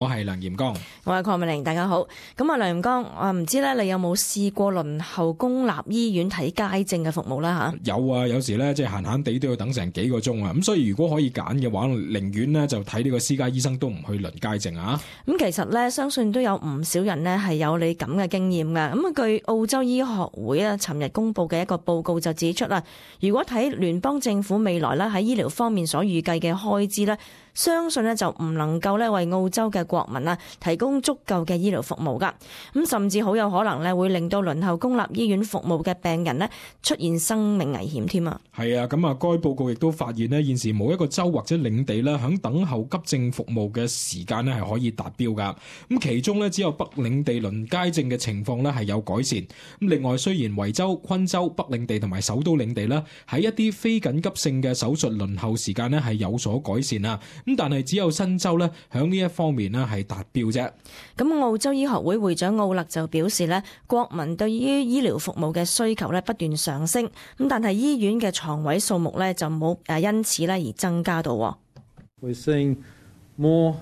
我係梁炎剛，我係鄺美玲，大家好。咁啊，梁炎剛，我唔知咧，你有冇試過輪候公立醫院睇街症嘅服務啦？吓，有啊，有時咧即係閒閒地都要等成幾個鐘啊。咁所以如果可以揀嘅話，寧願呢就睇呢個私家醫生都唔去輪街症啊。咁其實咧，相信都有唔少人呢係有你咁嘅經驗㗎。咁啊，據澳洲醫學會啊，尋日公布嘅一個報告就指出啦，如果睇聯邦政府未來咧喺醫療方面所預計嘅開支咧，相信呢就唔能夠咧為澳洲嘅國民啊提供足夠嘅醫療服務噶，咁甚至好有可能咧會令到輪候公立醫院服務嘅病人呢出現生命危險添啊！係啊，咁啊，該報告亦都發現呢，現時冇一個州或者領地咧響等候急症服務嘅時間呢係可以達標噶。咁其中呢，只有北領地輪街症嘅情況呢係有改善。咁另外，雖然維州、昆州、北領地同埋首都領地呢喺一啲非緊急性嘅手術輪候時間呢係有所改善啊。咁但係只有新州咧，響呢一方面咧係達標啫。咁澳洲醫學會會長奧勒就表示咧，國民對於醫療服務嘅需求咧不斷上升，咁但係醫院嘅床位數目咧就冇因此咧而增加到。We're seeing more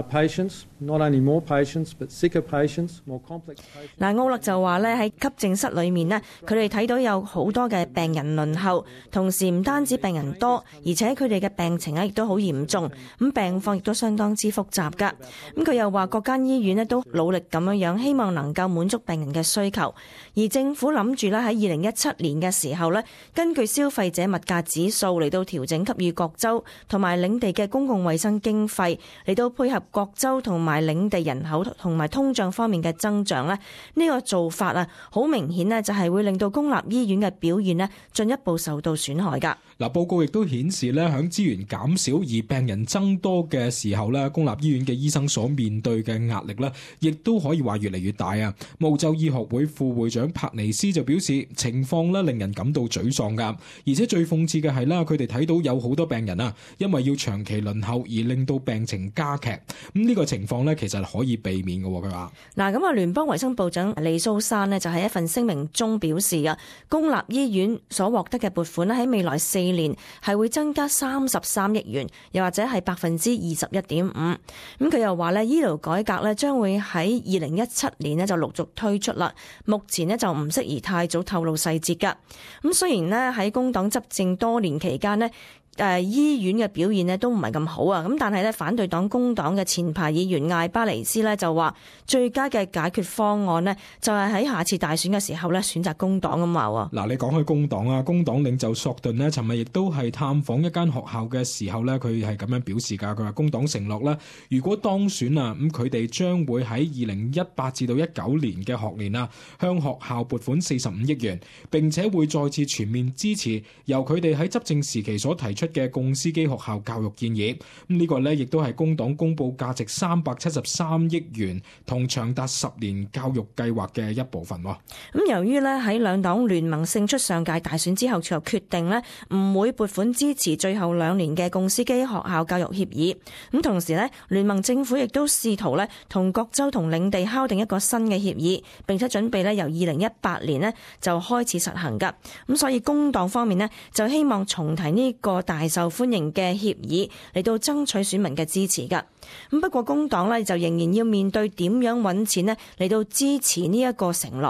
patients, not only more patients, but sicker patients, more complex patients. 嗱，奧勒就話咧喺急症室裏面呢，佢哋睇到有好多嘅病人輪候，同時唔單止病人多，而且佢哋嘅病情咧亦都好嚴重，咁病況亦都相當之複雜噶。咁佢又話各間醫院呢都努力咁樣，希望能夠滿足病人嘅需求。而政府諗住咧喺2017年嘅時候咧，根據消費者物價指數嚟到調整給予各州同埋領地嘅公共衛生經費，嚟到配合各州同埋領地人口同埋通脹方面嘅增長咧，呢個做法啊，好明顯咧就係會令到公立醫院嘅表現咧進一步受到損害噶。嗱，報告亦都顯示咧，響資源減少而病人增多嘅時候咧，公立醫院嘅醫生所面對嘅壓力咧，亦都可以話越嚟越大啊。澳洲醫學會副會長帕尼斯就表示，情況咧令人感到沮喪噶，而且最諷刺嘅係啦，佢哋睇到有好多病人啊，因為要長期輪候而令到病情加劇。咁呢個情況咧，其實可以避免嘅。佢話嗱，咁啊，聯邦衛生部長李蘇珊呢，就喺一份聲明中表示啊，公立醫院所獲得嘅撥款咧喺未來4年係會增加33億元，又或者係21.5%。咁佢又話咧，醫療改革咧將會喺2017年呢就陸續推出啦。目前呢就唔適宜太早透露細節噶。咁雖然呢喺工黨執政多年期間呢，醫院嘅表現呢都唔係咁好啊，咁但係咧反對黨工黨嘅前排議員艾巴尼斯呢就話最佳嘅解決方案呢就係喺下次大選嘅時候咧選擇工黨咁話。嗱，你講開工黨啊，工黨領袖索頓呢尋日亦都係探訪一間學校嘅時候呢，佢係咁樣表示噶。佢話工黨承諾啦，如果當選啊，咁佢哋將會喺2018至到19年嘅學年啊，向學校撥款45億元，並且會再次全面支持由佢哋喺執政時期所提出嘅共司機學校教育建議。咁呢個呢亦都係工黨公布價值373億元同長達10年教育計劃嘅一部分。咁由於呢喺兩黨聯盟勝出上屆大選之後，就決定呢唔會撥款支持最後2年嘅共司機學校教育協議。咁同時呢，聯盟政府亦都試圖呢同各州同領地敲定一個新嘅協議，並且準備呢由2018年呢就開始實行噶。咁所以工黨方面呢就希望重提呢個大受歡迎嘅協議嚟到爭取選民嘅支持噶。咁不過工黨呢就仍然要面對點樣揾錢呢嚟到支持呢一個承諾。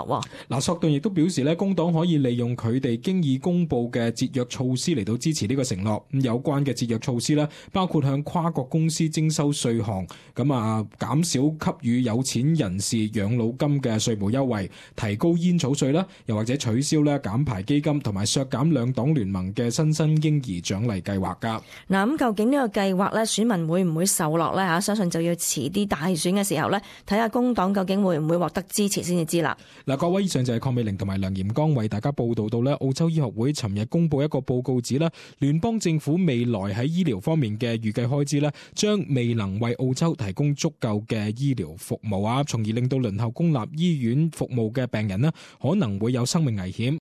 嗱，索頓亦都表示咧，工黨可以利用佢哋經已公布嘅節約措施嚟到支持呢個承諾。咁有關嘅節約措施咧，包括向跨國公司徵收稅項，減少給予有錢人士養老金嘅稅務優惠，提高煙草稅啦，又或者取消咧減排基金，同埋削減兩黨聯盟嘅新生嬰兒獎勵計劃噶。嗱，咁究竟呢個計劃咧，選民會唔會受落咧？相信就要遲啲大選嘅時候咧，睇下工黨究竟會唔會獲得支持先至知啦。嗱，各位，以上就係鄺美玲同埋梁炎剛為大家報道到咧，澳洲醫學會尋日公布一個報告指咧，聯邦政府未來喺醫療方面嘅預計開支咧，將未能為澳洲提供足夠嘅醫療服務啊，從而令到輪候公立醫院服務嘅病人咧，可能會有生命危險。